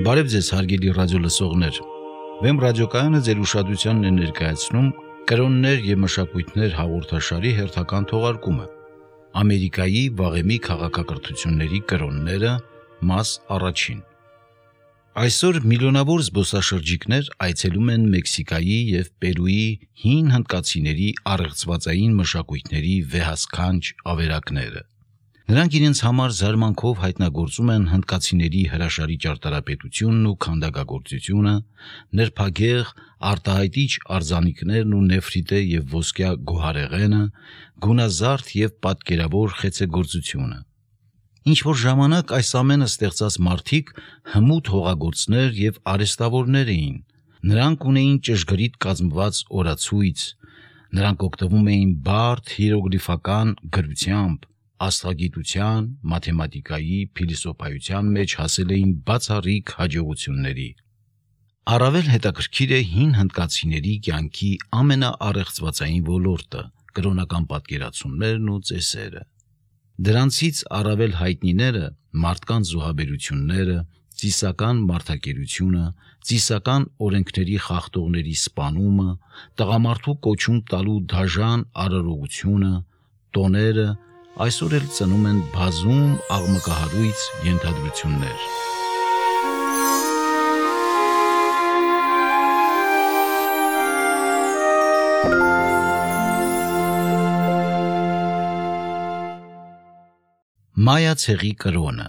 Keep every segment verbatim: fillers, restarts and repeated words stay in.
Բարև ձեզ հարգելի ռադիոլսողներ։ Վեմ ռադիոկայանը ձեր ուշադրությանն է ներկայացնում կրոններ և մշակույթներ հաղորդաշարի հերթական թողարկումը։ Ամերիկայի վաղեմի քաղաքակրթությունների կրոնները, մաս առաջին։ Այսօր միլիոնավոր զբոսաշրջիկներ այցելում են Մեքսիկայի և Պերուի հին հնդկացիների առեղծվածային մշակույթների վեհասքանչ ավերակները։ Նրանք իրենց համար զարմանքով հայտնագործում են հնդկացիների հրաշալի ճարտարապետությունն ու քանդակագործությունը, նրբագեղ, արտահայտիչ արձանիկներն ու նեֆրիտե և ոսկյա գոհարեղենը, գունազարդ և պատկերավոր խեցեգործությունը։ Ինչ-որ ժամանակ այս ամենը ստեղծած մարդիկ հմուտ հողագործներ և արհեստավորներ էին։ Նրանք ունեին ճշգրիտ կազմված օրացույց, նրանք օգտվում էին բարդ հիերոգլիֆական գրությամբ, աստղագիտության, մաթեմատիկայի, փիլիսոփայության մեջ հասել էին բացառիկ հաջողությունների։ Առավել հետաքրքիր է հին հնդկացիների կյանքի ամենաառեղծվածային ոլորտը՝ կրոնական պատկերացումներն ու ծեսերը։ Դրանցից առավել հայտնիները մարդկանց զոհաբերությունները, ծիսական մարդակերությունը, ծիսական օրենքների խախտողների սպանումը, տղամարդու կոչում տալու դաժան արարողությունը, տոները այսօր էլ ծնում են բազում աղմկահարույց ենթադրություններ։ Մայա ցեղի կրոնը։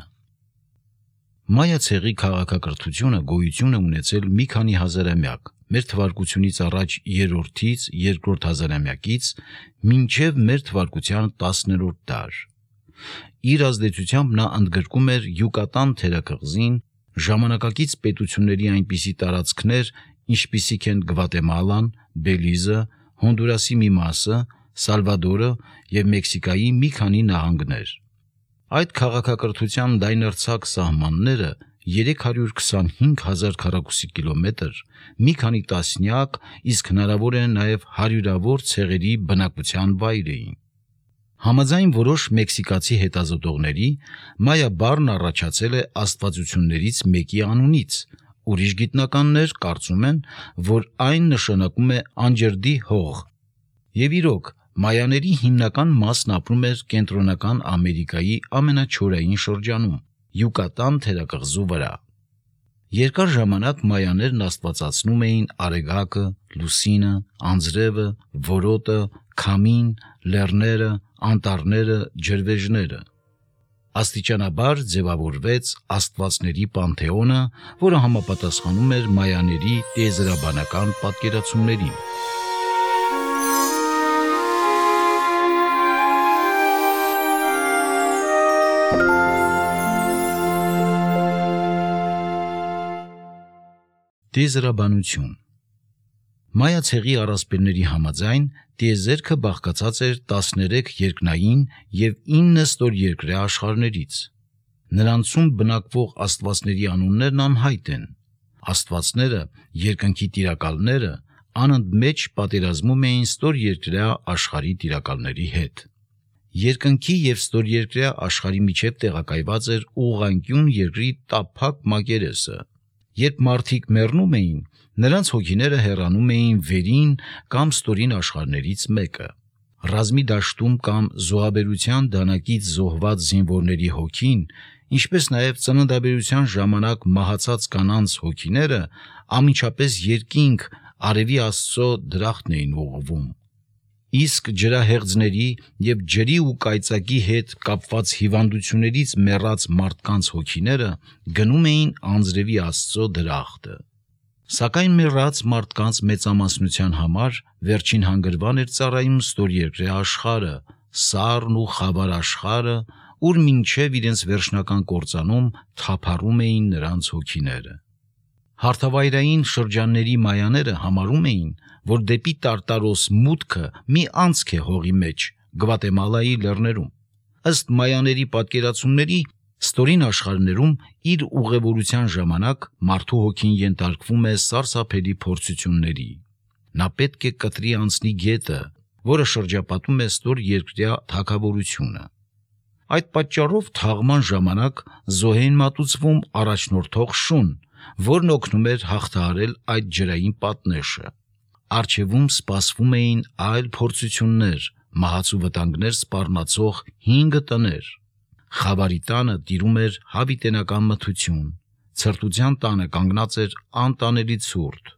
Մայա ցեղի քաղաքակրթությունը գոյություն է ունեցել մի քանի հազարամյակ, մեր թվարկությունից առաջ երրորդից երկրորդ հազարամյակից մինչև մեր թվարկության տասներորդ դար։ Իր ազդեցությամբ նա ընդգրկում էր Յուկատան թերակղզին, ժամանակակից պետությունների այնպիսի տարածքներ, ինչպիսիք են Գվատեմալան, Բելիզը, Հոնդուրասի մի մասը, Սալվադորը և Մեքսիկայի մի քանի նահանգներ։ Այդ քաղաքակրթության լայնարձակ սահմանները երեք հարյուր քսանհինգ հազար քառակուսի կիլոմետր, մի քանի տասնյակ, իսկ հնարավոր է նաև հարյուրավոր ցեղերի բնակության վայր էին։ Համաձայն որոշ մեքսիկացի հետազոտողների, մայա բառն առաջացել է աստվածություններից մեկի անունից, ուրիշ գիտնականներ կարծում են, որ այն նշանակում է անջրդի հող։ Եվ իրոք, մայաների հիմնական մասն ապրում էր կենտրոնական Ամերիկայի ամենաչորային շրջանում՝ Յուկատան թերակղզու վրա։ Երկար ժամանակ մայաներն աստվածացնում էին Արեգակը, Լուսինը, Անձրևը, Որոտը, Քամին, լեռները, անտառները, ջրվեժները։ Աստիճանաբար ձևավորվեց աստվածների պանթեոնը, որը համապատասխանում էր մայաների տիեզերաբանական պատկերացումներին։ Տիեզերաբանություն։ Մայա ցեղի առասպելների համաձայն տիեզերքը բաղկացած էր տասներեք երկնային և ինը ստորերկրյա աշխարհներից։ Նրանցում բնակվող աստվածների անուններն անհայտ են։ Աստվածները, երկնքի տիրակալները, անընդմեջ պատերազմում էին ստորերկրյա աշխարհի տիրակալների հետ։ Երկնքի և ստորերկրյա աշխարհի միջև տեղակայված էր ուղղանկյուն երկրի տափակ մակերեսը։ Երբ մարդիկ մեռնում էին, նրանց հոգիները հեռանում էին վերին կամ ստորին աշխարհներից մեկը։ Ռազմի դաշտում կամ զոհաբերության դանակից զոհված զինվորների հոգին, ինչպես նաև ծննդաբերության ժամանակ մահացած կանանց հոգիները անմիջապես երկինք արևի Աստծո դրախտն էին ուղղվում։ Իսկ ջրահեղձների և ջրի ու կայծակի հետ կապված հիվանդություններից մեռած մարդկանց հոգիները գնում էին անձրևի Աստծո դրախտը։ Սակայն մեռած մարդկանց մեծամասնության համար վերջին հանգրվան էր ծառայում ստորերկրյա աշխարհը, սառն ու խավար աշխարհը, ուր մինչև իրենց վերջնական կործանում թափառում էին նրանց հոգիները։ Հարթավայրային շրջանների մայաները համարում էին, որ դեպի Տարտարոս մուտքը մի անցք է հողի մեջ, Գվատեմալայի լեռներում։ Ըստ մայաների պատկերացումների, ստորին աշխարհներում իր ուղևորության ժամանակ մարդու հոգին ենթարկվում է սարսափելի փորձությունների։ Նա պետք է կտրի անցնի գետը, որը շրջապատում է ստորերկրյա թագավորությունը։ Այդ պատճառով թաղման ժամանակ զոհ էին մատուցվում առաջնորդող շուն, որն օգնում էր հաղթահարել այդ ջրային պատնեշը։ Առջևում սպասվում էին այլ փորձություններ, մահացու վտանգներ սպառնացող հինգ տներ։ Խավարի տանը տիրում էր հավիտենական մթություն, ցրտության տանը կանգնած էր անտանելի ցուրտ,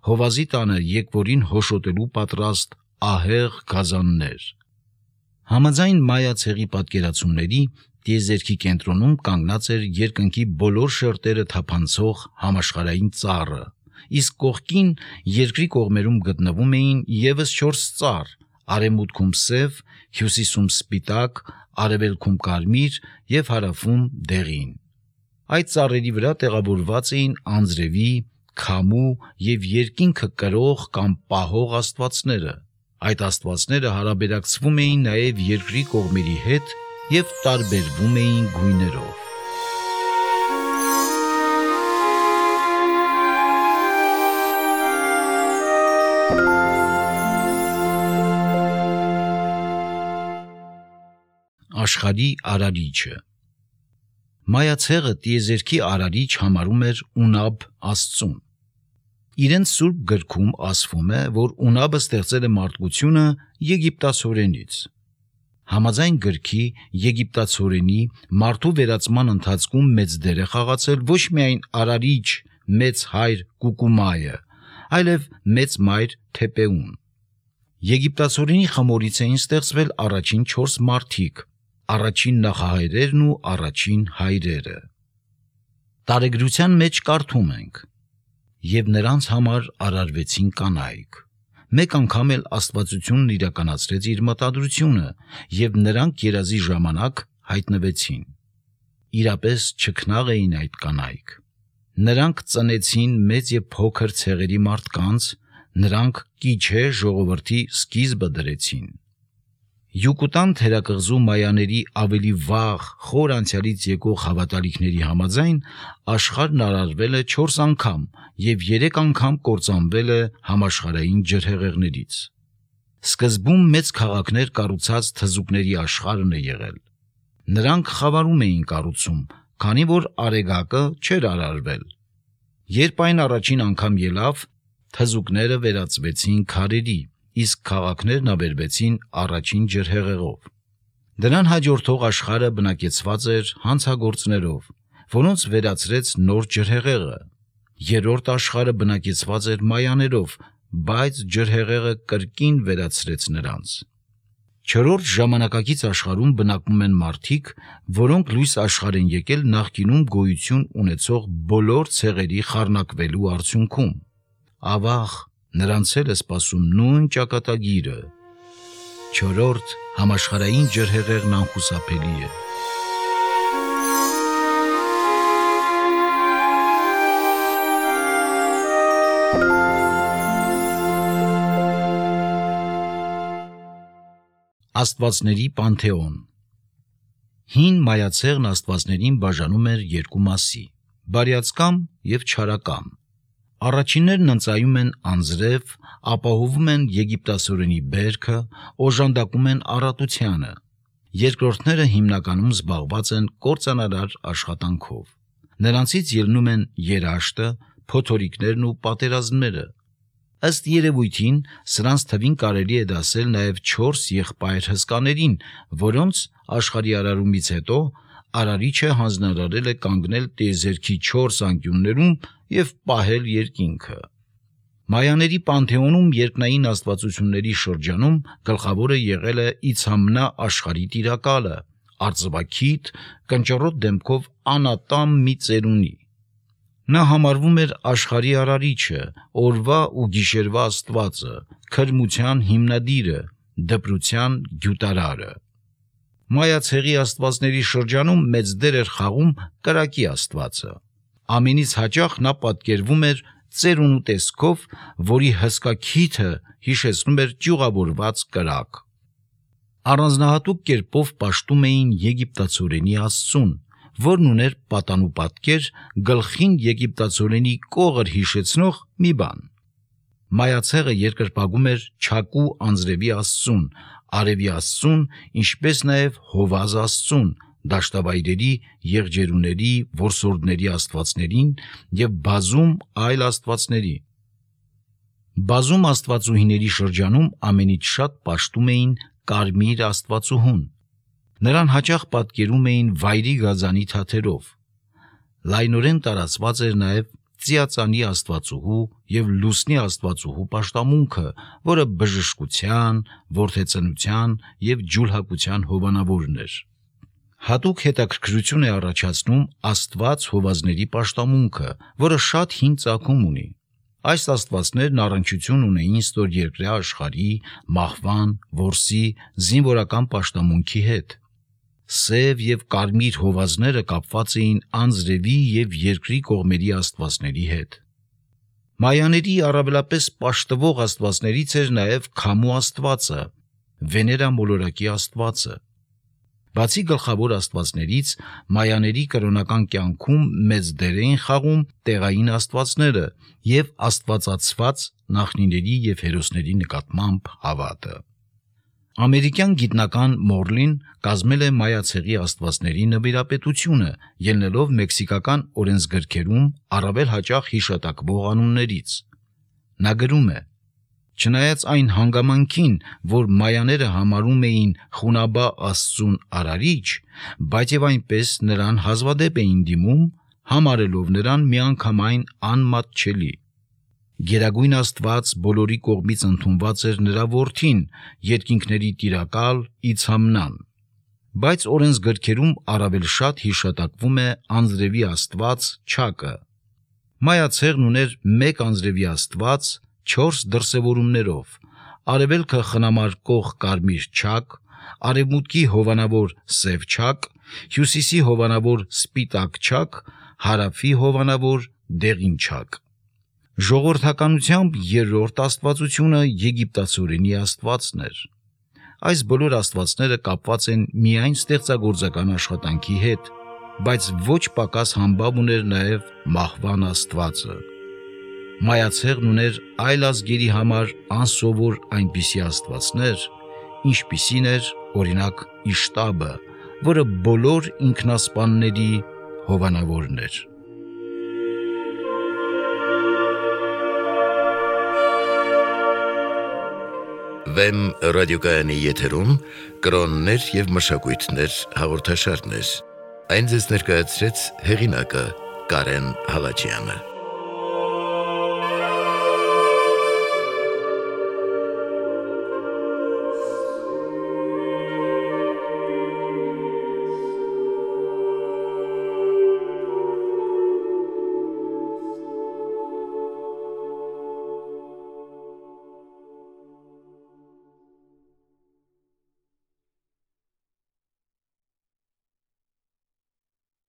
հովազի տանը եկվորին հոշոտելու պատրաստ ահեղ գազաններ։ Համաձայն մայա ցեղի պատկերացումների, տիեզերքի կենտրոնում կանգնած էր երկնքի բոլոր շերտերը թափանցող համաշխարհային ծառը, իսկ կողքին երկրի կողմերում գտնվում էին ևս չորս ծառ, արևմուտքում սև, հյուսիսում սպիտակ, արևելքում կարմիր և հարավում դեղին։ Այդ ծառերի վրա տեղավորված էին անձրևի, քամու և երկինքը կրող կամ պահող աստվածները։ Այդ աստվածները հարաբերակցվում էին նաև երկրի կողմերի հետ և տարբերվում էին գույներով։ Աշխարհի արարիչը։ Մայա ցեղը տիեզերքի արարիչ համարում էր Ունաբ աստծուն։ Իրենց սուրբ գրքում ասվում է, որ Ունաբը ստեղծել է մարդկությունը եգիպտացորենից։ Համաձայն գրքի եգիպտացորենի մարդու վերածման ընթացքում մեծ դեր է խաղացել ոչ միայն արարիչ մեծ հայր Կուկումայը, այլև մեծ մայր Թեպեուն։ Եգիպտացորենի խմորից էին ստեղծվել առաջին չորս մարդիկ, առաջին նախահայրերն ու առաջին հայրերը։ Տարեգրության մեջ կարդում ենք. «Եվ նրանց համար արարվեցին կանայք»։ Մեկ անգամ էլ Աստվածությունն իրականացրեց իր մտադրությունը, և նրանք երազի ժամանակ հայտնվեցին։ Իրապես չքնաղ էին այդ կանայք։ Նրանք ծնեցին մեծ և փոքր ցեղերի մարդկանց, նրանք Կիչե ժողովրդի սկիզբը դրեցին։ Յուկուտան թերակղզու մայաների ավելի վաղ խոր անցյալից եկող հավատալիքների համաձայն աշխարհն արարվել է չորս անգամ և երեք անգամ կործանվել է համաշխարհային ջրհեղեղներից։ Սկզբում մեծ քաղաքներ կառուցած թզուկների աշխարհն է եղել։ Նրանք խավարում էին կառուցում, քանի որ Արեգակը չէր արարվել։ Երբ այն առաջին անգամ ելավ, թզուկները վերածվեցին քարերի, իսկ քաղաքներն ավերվեցին առաջին ջրհեղեղով։ Դրան հաջորդող աշխարհը բնակեցված էր հանցագործներով, որոնց վերացրեց նոր ջրհեղեղը։ Երրորդ աշխարհը բնակեցված էր մայաներով, բայց ջրհեղեղը կրկին վերացրեց նրանց։ Չորրորդ ժամանակակից աշխարհում բնակվում են մարդիկ, որոնք լույս աշխարհ են եկել նախկինում գոյություն ունեցող բոլոր ցեղերի խառնակվելու արդյունքում։ Ավաղ, նրանց էլ է սպասում նույն ճակատագիրը։ Չորրորդ համաշխարհային ջրհեղեղն անխուսափելի է։ Աստվածների պանթեոն։ Հին մայա ցեղն աստվածներին բաժանում էր երկու մասի՝ բարյացկամ և չարակամ։ Առաջիններն ընծայում են անձրև, ապահովում են եգիպտացորենի բերքը, օժանդակում են առատությանը։ Երկրորդները հիմնականում զբաղված են կործանարար աշխատանքով։ Նրանցից ելնում են երաշտը, փոթորիկներն ու պատերազմները։ Ըստ երևույթին, սրանց թվին կարելի է դասել նաև չորս եղբայր հսկաներին, որոնց աշխարհի արարումից հետո Արարիչը հանձնարարել է կանգնել տիեզերքի չորս անկյուններում և պահել երկինքը։ Մայաների պանթեոնում երկնային աստվածությունների շրջանում գլխավորը եղել է Իցամնա աշխարհի տիրակալը, արծվաքիթ, կնճռոտ դեմքով անատամ մի ծերունի։ Նա համարվում էր աշխարհի արարիչը, օրվա ու գիշերվա աստվածը, քրմության հիմնադիրը, դպրության գյուտարարը։ Մայա ցեղի աստվածների շրջանում մեծ դեր էր խաղում կրակի աստվածը։ Ամենից հաճախ նա պատկերվում էր ծերունու տեսքով, որի հսկա քիթը հիշեցնում էր ճյուղավորված կրակ։ Առանձնահատուկ կերպով պաշտում էին եգիպտացորենի աստծուն, որն ուներ պատանու պատկեր, գլխին եգիպտացորենի կողր հիշեցնող մի բան։ Մայա ցեղը երկրպագում էր Չակու անձրևի աստծուն, արևի աստծուն, ինչպես նաև Հովազ աստծուն, դաշտավայրերի, եղջերուների, որսորդների աստվածներին և բազում այլ աստվածների։ Բազում աստվածուհիների շրջանում ամենից շատ պաշտում էին կարմիր աստվածուհուն։ Նրան հաճախ պատկերում էին վայրի գազանի թաթերով։ Լայնորեն տարածված էր նաև ծիածանի աստվածուհու և լուսնի աստվածուհու պաշտամունքը, որը բժշկության, որդեծնության և ջուլհակության հովանավորն էր։ Հատուկ հետաքրքրություն է առաջացնում աստված հովազների պաշտամունքը, որը շատ հին ծագում ունի։ Այս աստվածներն առնչություն ունեին ստորերկրյա աշխարհի, մահվան, որսի, զինվորական պաշտամունքի հետ։ Սև և կարմիր հովազները կապված էին անձրևի և երկրի կողմերի աստվածների հետ։ Մայաների առավելապես պաշտվող աստվածներից էր նաև քամու աստվածը, Վեներա մոլորակի աստվածը։ Բացի գլխավոր աստվածներից, մայաների կրոնական կյանքում մեծ դեր էին խաղում տեղային աստվածները և աստվածացված նախնիների և հերոսների նկատմամբ հավատը։ Ամերիկյան գիտնական Մորլին կազմել է մայա ցեղի աստվածների նվիրապետությունը՝ ելնելով մեքսիկական օրենսգրքերում առավել հաճախ հիշատակվող անուններից։ Նա գրում է. «Չնայած այն հանգամանքին, որ մայաները համարում էին Խունաբա աստծուն արարիչ, բայց և այնպես նրան հազվադեպ էին դիմում, համարելով նրան միանգամայն անմատչելի։ Գերագույն Աստված բոլորի կողմից ընդունված էր նրա որդին, երկինքների տիրակալ Իցհամնան։ Բայց օրենսգրքերում առավել շատ հիշատակվում է անձրևի աստված Չակը։ Մայա ցեղն ուներ մեկ անձրևի աստված չորս դրսևորումներով՝ արևելքը խնամարկող կարմիր Չակ, արևմուտքի հովանավոր սև Չակ, հյուսիսի հովանավոր սպիտակ Չակ, հարավի հովանավոր դեղին Չակ։ Ժողովրդականությամբ երրորդ աստվածությունը եգիպտացորենի աստվածն էր։ Այս բոլոր աստվածները կապված են միայն ստեղծագործական աշխատանքի հետ, բայց ոչ պակաս համբավ ուներ նաև մահվան աստվածը։ Մայա ցեղն ուներ այլ ազգերի համար անսովոր այնպիսի աստվածներ, ինչպիսին էր օրինակ Իշտաբը, որը բոլոր ինքնասպանների հովանավորն էր։ Վեմ ռադիոկայանի եթերում կրոններ և մշակույթներ հաղորդաշարներ։ Այն ձեզ ներկայացրեց հեղինակը Կարեն Հալաջյանը։